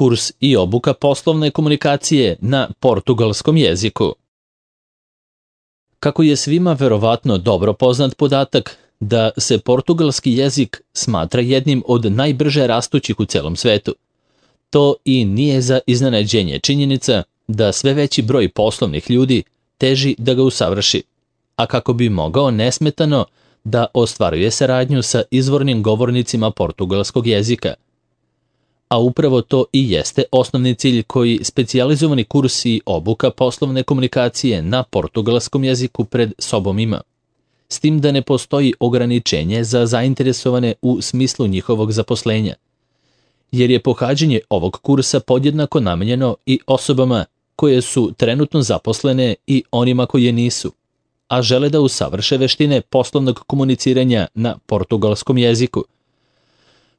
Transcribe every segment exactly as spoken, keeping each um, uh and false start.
kurs i obuka poslovne komunikacije na portugalskom jeziku. Kako je svima verovatno dobro poznat podatak da se portugalski jezik smatra jednim od najbrže rastućih u celom svetu, to i nije za iznenađenje činjenica da sve veći broj poslovnih ljudi teži da ga usavrši, a kako bi mogao nesmetano da ostvaruje saradnju sa izvornim govornicima portugalskog jezika. A upravo to i jeste osnovni cilj koji specijalizovani kurs i obuka poslovne komunikacije na portugalskom jeziku pred sobom ima, s tim da ne postoji ograničenje za zainteresovane u smislu njihovog zaposlenja, jer je pohađanje ovog kursa podjednako namenjeno i osobama koje su trenutno zaposlene i onima koje nisu, a žele da usavrše veštine poslovnog komuniciranja na portugalskom jeziku,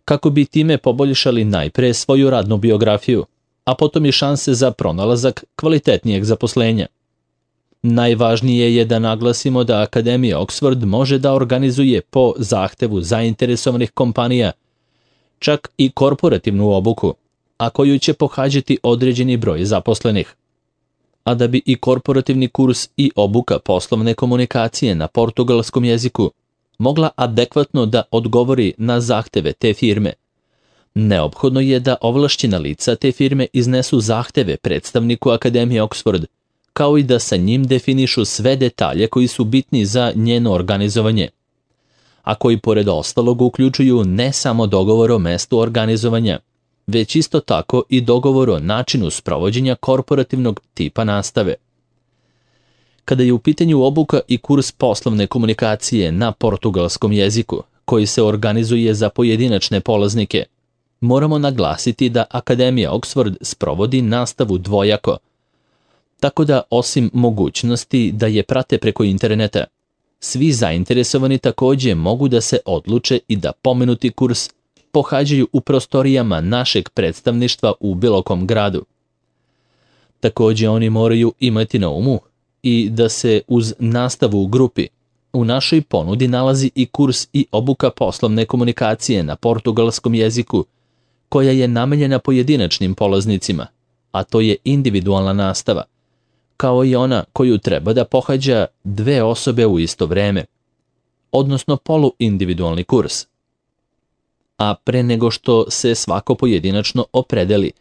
kako bi time poboljšali najpre svoju radnu biografiju, a potom i šanse za pronalazak kvalitetnijeg zaposlenja. Najvažnije je da naglasimo da Akademija Oxford može da organizuje po zahtevu zainteresovanih kompanija čak i korporativnu obuku, a koju će pohađati određeni broj zaposlenih. A da bi i korporativni kurs i obuka poslovne komunikacije na portugalskom jeziku mogla adekvatno da odgovori na zahteve te firme, neophodno je da ovlašćena lica te firme iznesu zahteve predstavniku Akademije Oxford, kao i da sa njim definišu sve detalje koji su bitni za njeno organizovanje, a koji pored ostalog uključuju ne samo dogovor o mestu organizovanja, već isto tako i dogovor o načinu sprovođenja korporativnog tipa nastave. Kada je u pitanju obuka i kurs poslovne komunikacije na portugalskom jeziku, koji se organizuje za pojedinačne polaznike, moramo naglasiti da Akademija Oxford sprovodi nastavu dvojako, tako da osim mogućnosti da je prate preko interneta, svi zainteresovani takođe mogu da se odluče i da pomenuti kurs pohađaju u prostorijama našeg predstavništva u bilo kom gradu. Takođe oni moraju imati na umu i da se uz nastavu u grupi u našoj ponudi nalazi i kurs i obuka poslovne komunikacije na portugalskom jeziku, koja je namenjena pojedinačnim polaznicima, a to je individualna nastava, kao i ona koju treba da pohađa dve osobe u isto vreme, odnosno poluindividualni kurs. A pre nego što se svako pojedinačno opredeli,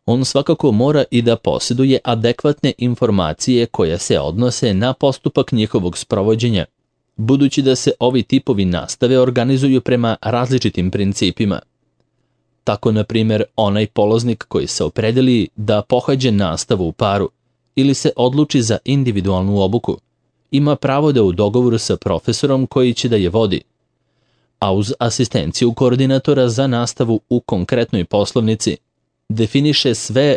on svakako mora i da posjeduje adekvatne informacije koje se odnose na postupak njihovog sprovođenja, budući da se ovi tipovi nastave organizuju prema različitim principima. Tako, na primjer, onaj polaznik koji se opredeli da pohađe nastavu u paru ili se odluči za individualnu obuku, ima pravo da u dogovoru sa profesorom koji će da je vodi, a uz asistenciju koordinatora za nastavu u konkretnoj poslovnici, definiše sve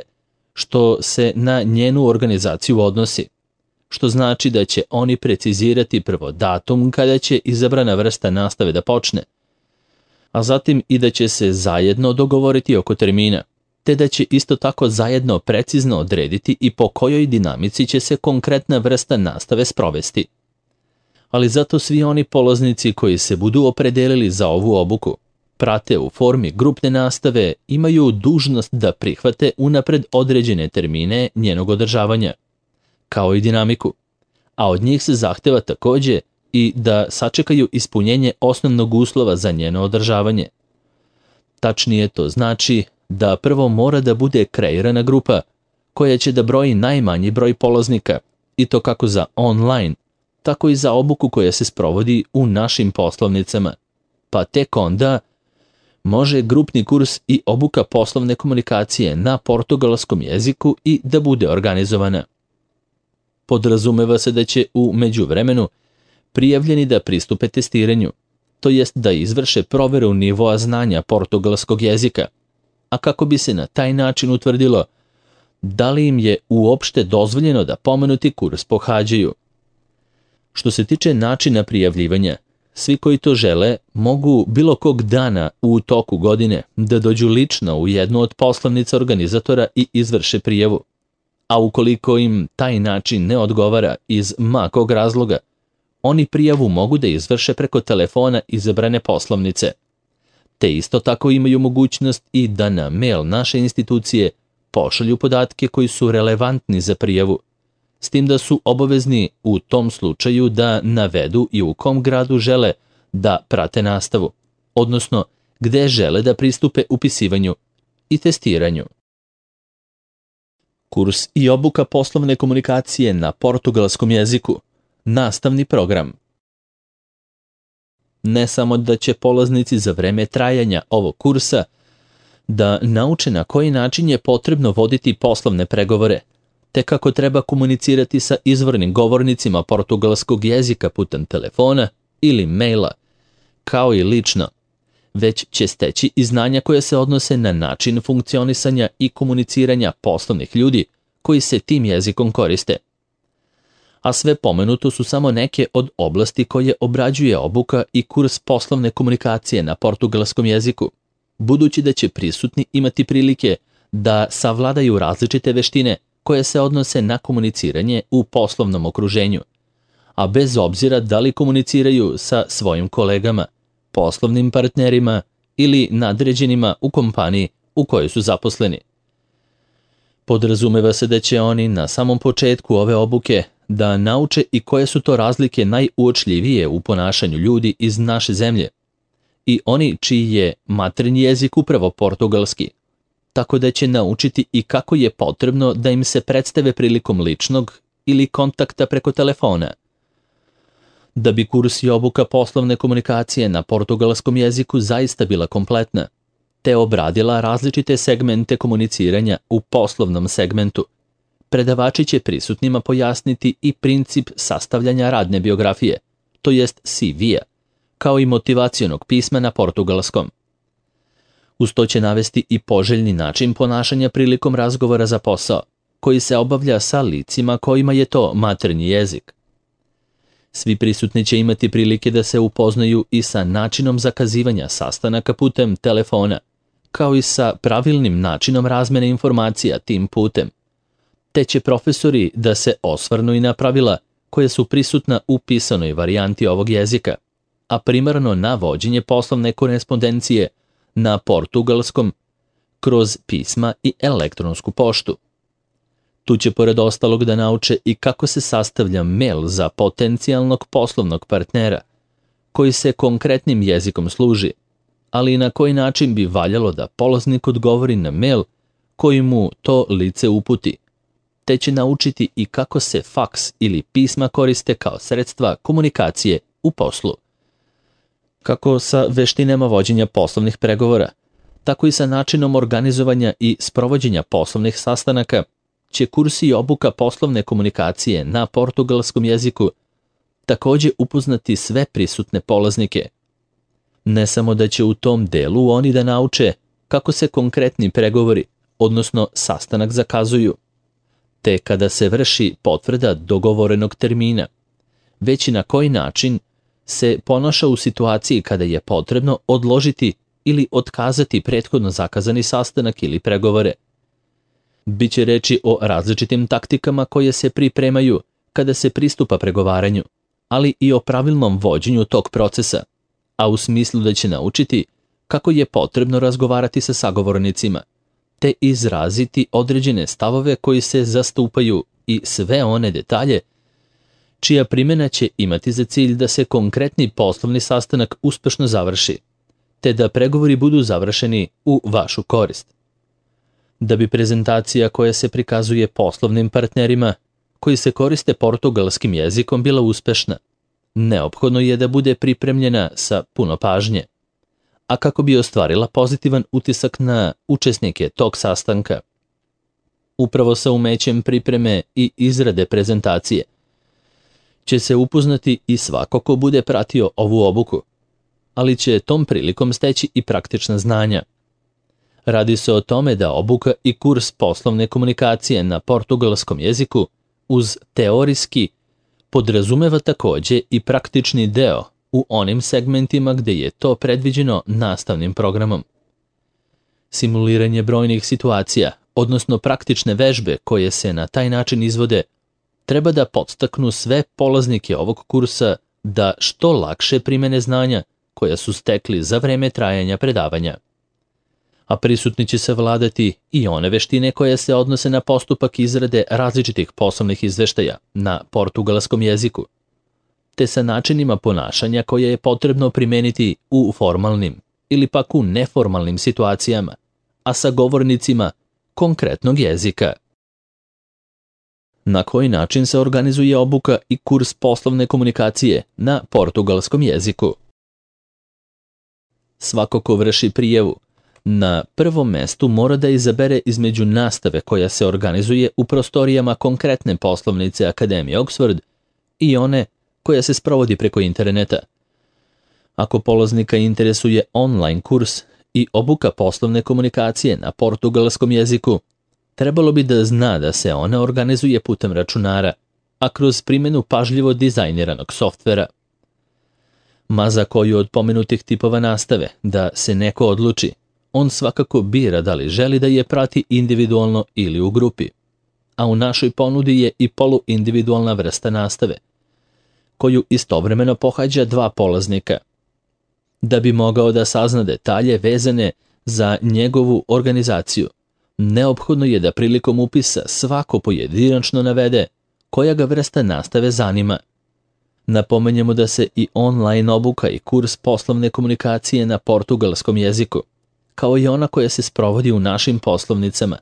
što se na njenu organizaciju odnosi, što znači da će oni precizirati prvo datum kada će izabrana vrsta nastave da počne, a zatim i da će se zajedno dogovoriti oko termina, te da će isto tako zajedno precizno odrediti i po kojoj dinamici će se konkretna vrsta nastave sprovesti. Ali zato svi oni polaznici koji se budu opredelili za ovu obuku, prate u formi grupne nastave, imaju dužnost da prihvate unapred određene termine njenog održavanja, kao i dinamiku, a od njih se zahteva takođe i da sačekaju ispunjenje osnovnog uslova za njeno održavanje. Tačnije to znači da prvo mora da bude kreirana grupa koja će da broji najmanji broj polaznika, i to kako za online, tako i za obuku koja se sprovodi u našim poslovnicama, pa tek onda može grupni kurs i obuka poslovne komunikacije na portugalskom jeziku i da bude organizovana. Podrazumeva se da će u međuvremenu prijavljeni da pristupe testiranju, to jest da izvrše proveru nivoa znanja portugalskog jezika, a kako bi se na taj način utvrdilo da li im je uopšte dozvoljeno da pomenuti kurs pohađaju. Što se tiče načina prijavljivanja, svi koji to žele mogu bilo kog dana u toku godine da dođu lično u jednu od poslovnica organizatora i izvrše prijavu, a ukoliko im taj način ne odgovara iz ma kog razloga, oni prijavu mogu da izvrše preko telefona izabrane poslovnice. te isto tako imaju mogućnost i da na mail naše institucije pošalju podatke koji su relevantni za prijavu, s tim da su obavezni u tom slučaju da navedu i u kom gradu žele da prate nastavu, odnosno gde žele da pristupe upisivanju i testiranju. Kurs i obuka poslovne komunikacije na portugalskom jeziku. Nastavni program. Ne samo da će polaznici za vreme trajanja ovog kursa da nauče na koji način je potrebno voditi poslovne pregovore, te kako treba komunicirati sa izvornim govornicima portugalskog jezika putem telefona ili maila, kao i lično, već će steći i znanja koje se odnose na način funkcionisanja i komuniciranja poslovnih ljudi koji se tim jezikom koriste. A sve pomenuto su samo neke od oblasti koje obrađuje obuka i kurs poslovne komunikacije na portugalskom jeziku, budući da će prisutni imati prilike da savladaju različite veštine koje se odnose na komuniciranje u poslovnom okruženju, a bez obzira da li komuniciraju sa svojim kolegama, poslovnim partnerima ili nadređenima u kompaniji u kojoj su zaposleni. Podrazumeva se da će oni na samom početku ove obuke da nauče i koje su to razlike najuočljivije u ponašanju ljudi iz naše zemlje i oni čiji je maternji jezik upravo portugalski, tako da će naučiti i kako je potrebno da im se predstave prilikom ličnog ili kontakta preko telefona. Da bi kurs i obuka poslovne komunikacije na portugalskom jeziku zaista bila kompletna, te obradila različite segmente komuniciranja u poslovnom segmentu, predavači će prisutnima pojasniti i princip sastavljanja radne biografije, to jest C V-a, kao i motivacionog pisma na portugalskom. Uz to će navesti i poželjni način ponašanja prilikom razgovora za posao, koji se obavlja sa licima kojima je to maternji jezik. Svi prisutni će imati prilike da se upoznaju i sa načinom zakazivanja sastanaka putem telefona, kao i sa pravilnim načinom razmene informacija tim putem. Te će profesori da se osvrnu i na pravila koje su prisutna u pisanoj varijanti ovog jezika, a primarno na vođenje poslovne korespondencije na portugalskom kroz pisma i elektronsku poštu. Tu će pored ostalog da nauče i kako se sastavlja mail za potencijalnog poslovnog partnera, koji se konkretnim jezikom služi, ali i na koji način bi valjalo da polaznik odgovori na mail koji mu to lice uputi, te će naučiti i kako se faks ili pisma koriste kao sredstva komunikacije u poslu. Kako sa veštinama vođenja poslovnih pregovora, tako i sa načinom organizovanja i sprovođenja poslovnih sastanaka, će kursi i obuka poslovne komunikacije na portugalskom jeziku također upoznati sve prisutne polaznike. Ne samo da će u tom delu oni da nauče kako se konkretni pregovori, odnosno sastanak zakazuju, te kada se vrši potvrda dogovorenog termina, već i na koji način se ponaša u situaciji kada je potrebno odložiti ili otkazati prethodno zakazani sastanak ili pregovore. Biće reči o različitim taktikama koje se pripremaju kada se pristupa pregovaranju, ali i o pravilnom vođenju tog procesa, a u smislu da će naučiti kako je potrebno razgovarati sa sagovornicima, te izraziti određene stavove koji se zastupaju i sve one detalje čija primjena će imati za cilj da se konkretni poslovni sastanak uspešno završi, te da pregovori budu završeni u vašu korist. Da bi prezentacija koja se prikazuje poslovnim partnerima koji se koriste portugalskim jezikom bila uspešna, neophodno je da bude pripremljena sa puno pažnje, a kako bi ostvarila pozitivan utisak na učesnike tog sastanka. Upravo sa umećem pripreme i izrade prezentacije će se upoznati i svako ko bude pratio ovu obuku, ali će tom prilikom steći i praktična znanja. Radi se o tome da obuka i kurs poslovne komunikacije na portugalskom jeziku uz teorijski podrazumeva također i praktični deo u onim segmentima gde je to predviđeno nastavnim programom. Simuliranje brojnih situacija, odnosno praktične vežbe koje se na taj način izvode, treba da podstaknu sve polaznike ovog kursa da što lakše primene znanja koja su stekli za vreme trajanja predavanja. A prisutni će savladati i one veštine koje se odnose na postupak izrade različitih poslovnih izveštaja na portugalskom jeziku, te sa načinima ponašanja koje je potrebno primeniti u formalnim ili pak u neformalnim situacijama, a sa govornicima konkretnog jezika. Na koji način se organizuje obuka i kurs poslovne komunikacije na portugalskom jeziku? Svako ko vrši prijavu na prvom mestu mora da izabere između nastave koja se organizuje u prostorijama konkretne poslovnice Akademije Oxford i one koja se sprovodi preko interneta. Ako polaznika interesuje online kurs i obuka poslovne komunikacije na portugalskom jeziku, trebalo bi da zna da se ona organizuje putem računara, a kroz primjenu pažljivo dizajniranog softvera. Ma za koju od pomenutih tipova nastave da se neko odluči, on svakako bira da li želi da je prati individualno ili u grupi, a u našoj ponudi je i poluindividualna vrsta nastave, koju istovremeno pohađa dva polaznika. Da bi mogao da sazna detalje vezane za njegovu organizaciju, neophodno je da prilikom upisa svako pojedinačno navede koja ga vrsta nastave zanima. Napomenjemo da se i online obuka i kurs poslovne komunikacije na portugalskom jeziku, kao i ona koja se sprovodi u našim poslovnicama,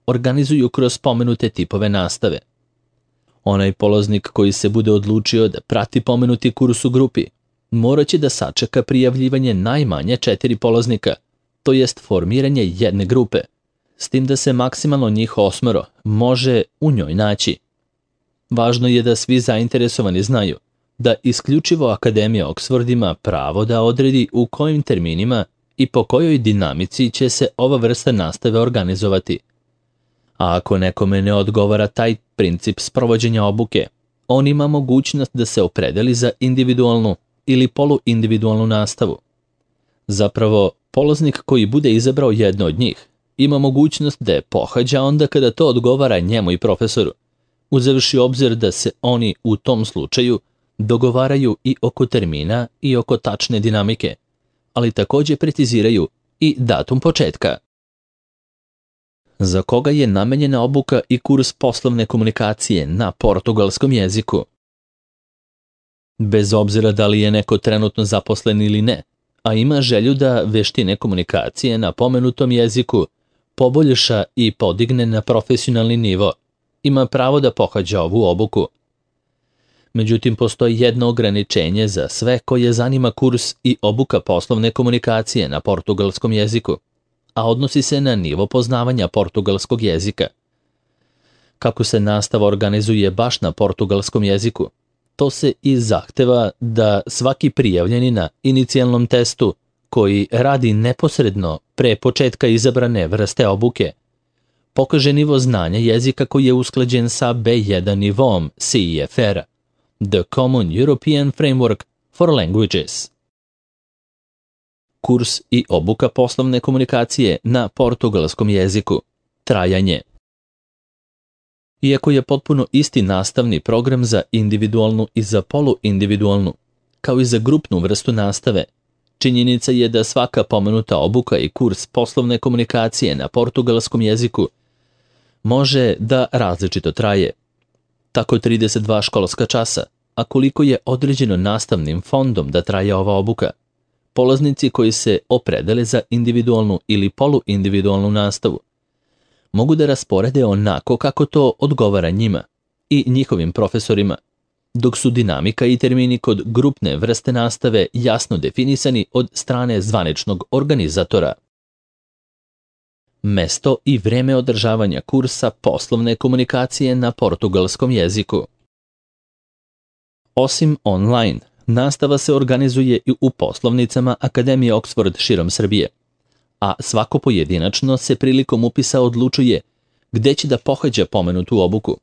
organizuju kroz pomenute tipove nastave. Onaj polaznik koji se bude odlučio da prati pomenuti kurs u grupi, morat će da sačeka prijavljivanje najmanje četiri polaznika, to jest formiranje jedne grupe, s tim da se maksimalno njih osmero može u njoj naći. Važno je da svi zainteresovani znaju da isključivo Akademija Oxford ima pravo da odredi u kojim terminima i po kojoj dinamici će se ova vrsta nastave organizovati. A ako nekome ne odgovara taj princip sprovođenja obuke, on ima mogućnost da se opredeli za individualnu ili poluindividualnu nastavu. Zapravo, polaznik koji bude izabrao jedno od njih ima mogućnost da je pohađa onda kada to odgovara njemu i profesoru, uzevši obzir da se oni u tom slučaju dogovaraju i oko termina i oko tačne dinamike, ali također preciziraju i datum početka. Za koga je namenjena obuka i kurs poslovne komunikacije na portugalskom jeziku? Bez obzira da li je neko trenutno zaposlen ili ne, a ima želju da veštine komunikacije na pomenutom jeziku poboljša i podigne na profesionalni nivo, ima pravo da pohađa ovu obuku. Međutim, postoji jedno ograničenje za sve koje zanima kurs i obuka poslovne komunikacije na portugalskom jeziku, a odnosi se na nivo poznavanja portugalskog jezika. Kako se nastava organizuje baš na portugalskom jeziku, to se i zahteva da svaki prijavljeni na inicijalnom testu, koji radi neposredno pre početka izabrane vrste obuke, pokaže nivo znanja jezika koji je usklađen sa be jedan nivom C E F R-a, The Common European Framework for Languages. Kurs i obuka poslovne komunikacije na portugalskom jeziku. Trajanje. Iako je potpuno isti nastavni program za individualnu i za poluindividualnu, kao i za grupnu vrstu nastave, činjenica je da svaka pomenuta obuka i kurs poslovne komunikacije na portugalskom jeziku može da različito traje. Tako trideset dva školska časa, a koliko je određeno nastavnim fondom da traje ova obuka, polaznici koji se opredele za individualnu ili poluindividualnu nastavu mogu da rasporede onako kako to odgovara njima i njihovim profesorima, dok su dinamika i termini kod grupne vrste nastave jasno definisani od strane zvaničnog organizatora. Mesto i vreme održavanja kursa poslovne komunikacije na portugalskom jeziku. Osim online, nastava se organizuje i u poslovnicama Akademije Oxford širom Srbije, a svako pojedinačno se prilikom upisa odlučuje gde će da pohađa pomenutu obuku.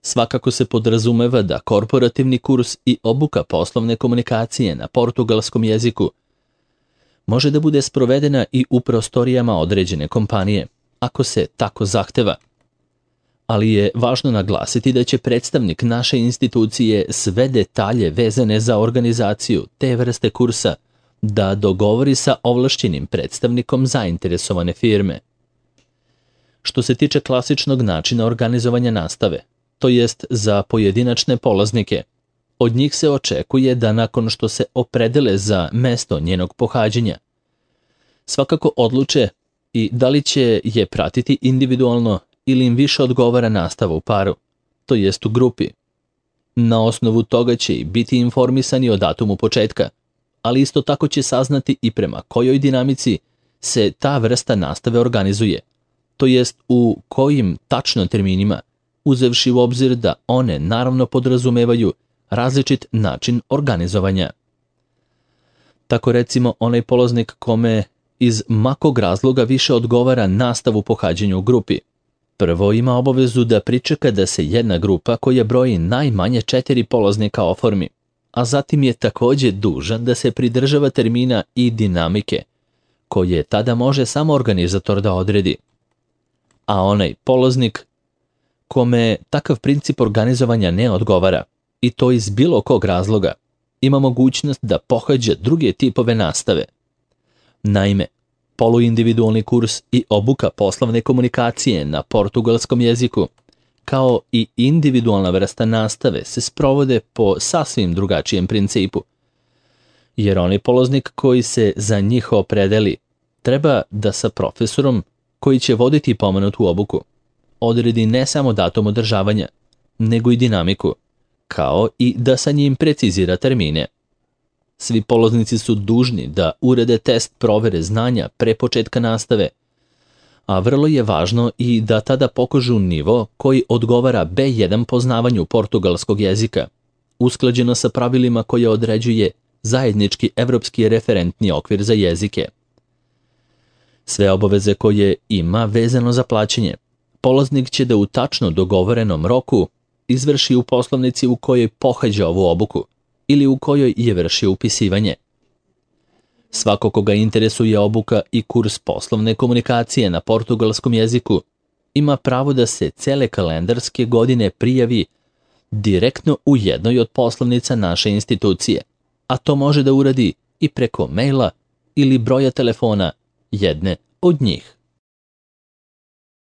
Svakako se podrazumeva da korporativni kurs i obuka poslovne komunikacije na portugalskom jeziku može da bude sprovedena i u prostorijama određene kompanije, ako se tako zahteva. Ali je važno naglasiti da će predstavnik naše institucije sve detalje vezane za organizaciju te vrste kursa da dogovori sa ovlašćenim predstavnikom zainteresovane firme. Što se tiče klasičnog načina organizovanja nastave, to jest za pojedinačne polaznike, od njih se očekuje da nakon što se opredele za mesto njenog pohađanja, svakako odluče i da li će je pratiti individualno ili im više odgovara nastava u paru, to jest u grupi. Na osnovu toga će i biti informisani o datumu početka, ali isto tako će saznati i prema kojoj dinamici se ta vrsta nastave organizuje, to jest u kojim tačno terminima, uzevši u obzir da one naravno podrazumevaju različit način organizovanja. Tako recimo onaj polaznik kome iz makog razloga više odgovara nastavu pohađanju u grupi, prvo ima obavezu da pričeka da se jedna grupa koja broji najmanje četiri polaznika oformi, a zatim je također dužan da se pridržava termina i dinamike, koje tada može samo organizator da odredi. A onaj polaznik kome takav princip organizovanja ne odgovara, i to iz bilo kog razloga, ima mogućnost da pohađa druge tipove nastave. Naime, poluindividualni kurs i obuka poslovne komunikacije na portugalskom jeziku, kao i individualna vrsta nastave se sprovode po sasvim drugačijem principu. Jer onaj polaznik koji se za njih opredeli treba da sa profesorom koji će voditi pomenutu obuku odredi ne samo datum održavanja, nego i dinamiku, kao i da sa njim precizira termine. Svi polaznici su dužni da urede test provere znanja pre početka nastave, a vrlo je važno i da tada pokažu nivo koji odgovara be jedan poznavanju portugalskog jezika, usklađeno sa pravilima koje određuje zajednički evropski referentni okvir za jezike. Sve obaveze koje ima vezano za plaćanje, polaznik će da u tačno dogovorenom roku izvrši u poslovnici u kojoj pohađa ovu obuku ili u kojoj je vršio upisivanje. Svako koga interesuje obuka i kurs poslovne komunikacije na portugalskom jeziku ima pravo da se cele kalendarske godine prijavi direktno u jednoj od poslovnica naše institucije, a to može da uradi i preko maila ili broja telefona jedne od njih.